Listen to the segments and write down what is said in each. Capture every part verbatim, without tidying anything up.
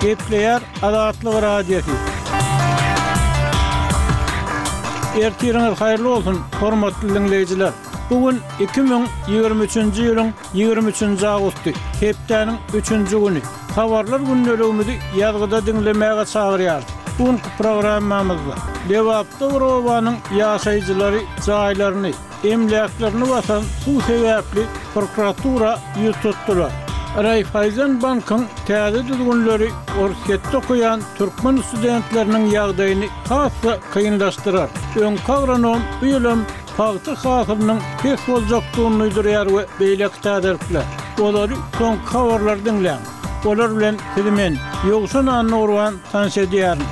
Gepleýär Azatlyk Radiosy. Ertiriňiz haýyrly bolsun, hormatly diňleýjiler! Bu gün iki müň ýigrimi üçünji ýylyň ýigrimi üçünji awgusty, hepdäniň üçünji güni. Habarlar gündeligimizi ýazgyda diňlemäge çagyrýarys. Bu günki programmamyzda Lebapda bir obanyň ýaşaýjylary jaýlaryny, emläklerini basan suw sebäpli prokuratura ýüz tutdular. Raýfaýzen bankyň täze düzgünleri Orsýetde okaýan türkmen studentleriniň ýagdaýyny has-da kynlaşdyrar. Öňki agronom bu ýylam pagta hasylynyň pes boljakdygyny duýdurýar we beýleki täzelikler. Olary soňky habarlar diňläň. Olar bilen sizi men, Ýowşan Annagurban tanyş edýärin.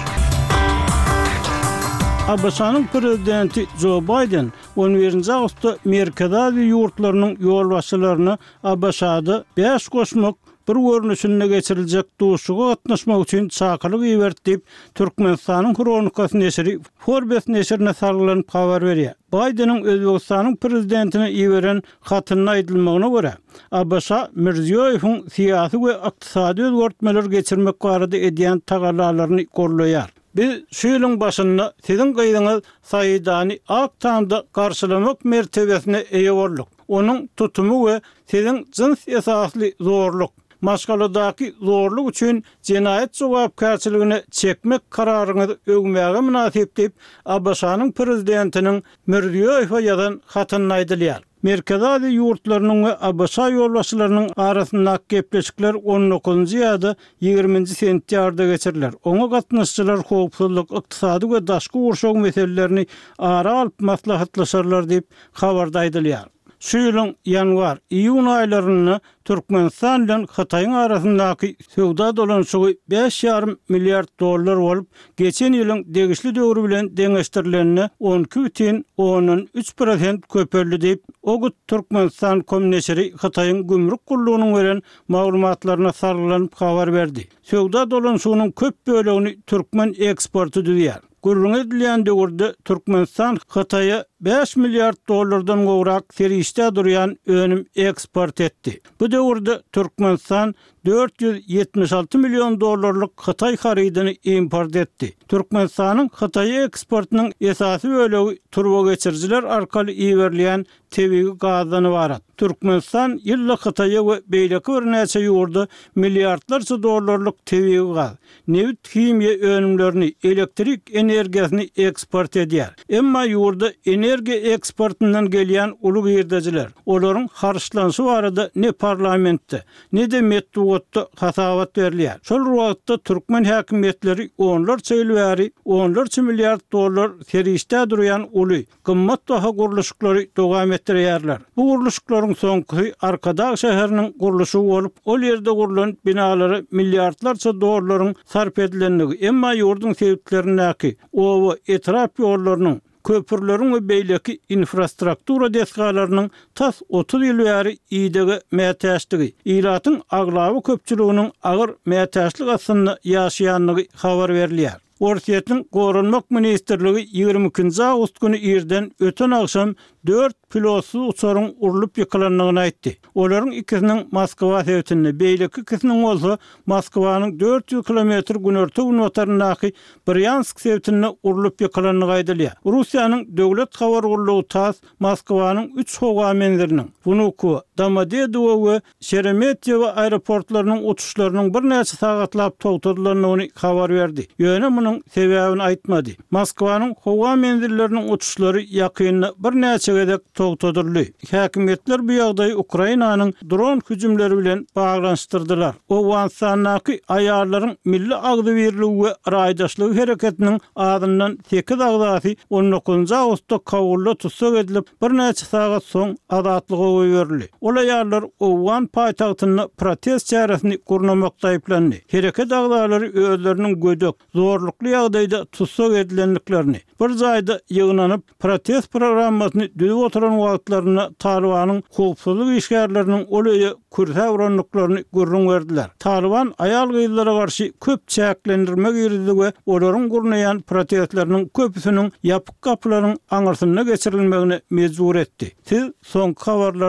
ABŞ-nyň prezidenti Jo Baýden on birinji awgustda Merkezi Aziýa ýurtlarynyň ýolbaşçylaryna ABŞ-da bäş goşmak bir görnüşinde geçiriljek duşuşyga gatnaşmak üçin çakylyk iberdi diýip, Türkmenistanyň Hronikasy neşiri Forbes neşirine salgylanyp habar berýär. Baýdeniň Özbegistanyň prezidentine iberen hatynda aýdylmagyna görä, ABŞ Mirziýoýewiň syýasy we ykdysady özgertmeler geçirmek barada edýän tagallalaryny gollaýar. Biz şu ýylyň başynda siziň gyzyňyz Saidany Ak Tamda garşylamak mertebesine eýe bolduk. Onuň tutumy we siziň jyns esasly zorluk, maşgaladaky zorluk üçin jenaýat jogapkärçiligine çekmek kararyňyzy öwmäge mynasyp diýip, ABŞ-nyň prezidentiniň Mirziýoýewe ýazan hatynda aýdylýar. Merkezi Aziýa ýurtlarynyň we ABŞ ýolbaşçylarynyň arasyndaky gepleşikler on dokuzynjy ýa-da ýigriminji sentýabrda geçiriler. Oňa gatnaşyjylar howpsuzlyk, ykdysady we daşky gurşaw meselelerini ara alyp maslahatlaşarlar diýip, habarda aýdylýar. Şu ýylyň ýanwar, iýun aýlarynda Türkmenistan bilen Hytaýyň arasyndaky söwda dolanyşygy bäş ýarym milliard dollar bolup, geçen ýylyň degişli döwri bilen deňeşdirilende on iki bütin ondan üç prosent köpeldi diýip, Ogut Türkmenistan com neşiri Hytaýyň gümrük gullugynyň beren maglumatlaryna salgylanyp habar berdi. Söwda dolanyşygynyň köp bölegini türkmen eksporty düzýär. Gürrüňi edilýän döwürde Türkmenistan Hytaýa bäş milliard dollardan gowrak serişdä durýan önüm eksport etdi. Bu döwürde Türkmenistan dört ýüz ýetmiş alty million dollarlyk hytaý harydyny import etdi. Türkmenistanyň Hytaýa eksportynyň esasy bölegi turbageçirijiler arkaly iberilýän tebigy gazdan ybarat. Türkmenistan ýylda Hytaýa we beýleki birnäçe ýurda milliardlarça dollarlyk tebigy gaz, nebit himiýa önümlerini, elektrik energiýasyny eksport edýär. Emma ýurda energiýa eksportyndan gelýän uly girdejiler, olaryň harçlanyşy barada ne parlamentde, ne-de metbugatda hasabat berilýär. Şol bir wagtda türkmen häkimiýetleri onlarça ýyl bäri onlarça milliard dollar serişdä durýan uly, gymmat baha gurluşyklary dowam etdirýärler. Bu gurluşyklaryň soňkusy Arkadag şäheriniň gurluşygy bolup, ol ýerde gurlan binalara milliardlarça dollaryň sarp edilendigi, emma ýurduň sebitlerindäki oba, etrap ýollarynyň, köprüleriň we beýleki infrastruktura desgalarynyň tas otuz ýyl bäri idege mätäçdigi, ilatyň aglaba köpçüliginiň agyr mätäçlik astynda ýaşaýandygy habar berilýär. Orsýetiň Goranmak ministrligi ýigrimi ikinji awgust güni irden öten agşam dört pilotsyz uçaryň urlup ýykylandygyny aýtdy. Olaryň ikisiniň Moskwa sebitinde, beýleki ikisiniň bolsa Moskwanyň dört ýüz kilometr günorta-günbataryndaky Brýansk sebitinde urlup ýykylandygy aýdylýar. Russiýanyň döwlet habar gullugy TASS Moskwanyň üç howa menziliniň, Wnukowo, Domodedowo we Şeremetýewo aeroportlarynyň uçuşlarynyň birnäçe sagatlap togtadylandygyny habar berdi. Ýöne munuň sebäbini aýtmady. Moskwanyň howa menzilleriniň uçuşlary ýakynda birnäçe gezek togtadyldy. Häkimiýetler bu ýagdaýy Ukrainanyň dron hüjümleri bilen baglanyşdyrdylar. Owganystandaky aýallaryň milli agzybirligi we raýdaşlygy hereketiniň azyndan sekiz agzasy on dokuzynjy awgustda Kabulda tussag edilip, birnäçe sagat soň azatlyga goýberildi. Ol aýallar owgan paýtagtynda protest çäresini gurnamakda aýyplandy. Hereket agzalary özleriniň gödek, zorlukly ýagdaýda tussag edilendiklerini, bir jaýda ýygnanyp, protest programmasyny düzüp oturan wagtlarynda Talybanyň howpsuzlyk işgärleriniň ol öýe kürsäp urandyklaryny gürrüň berdiler. Talyban aýal-gyzlara garşy köp çäklendirme girizdi we olaryň gurnaýan protestleriniň köpüsiniň ýapyk gapylaryň aňyrsynda geçirilmegine mejbur etdi. Siz soňky habarlary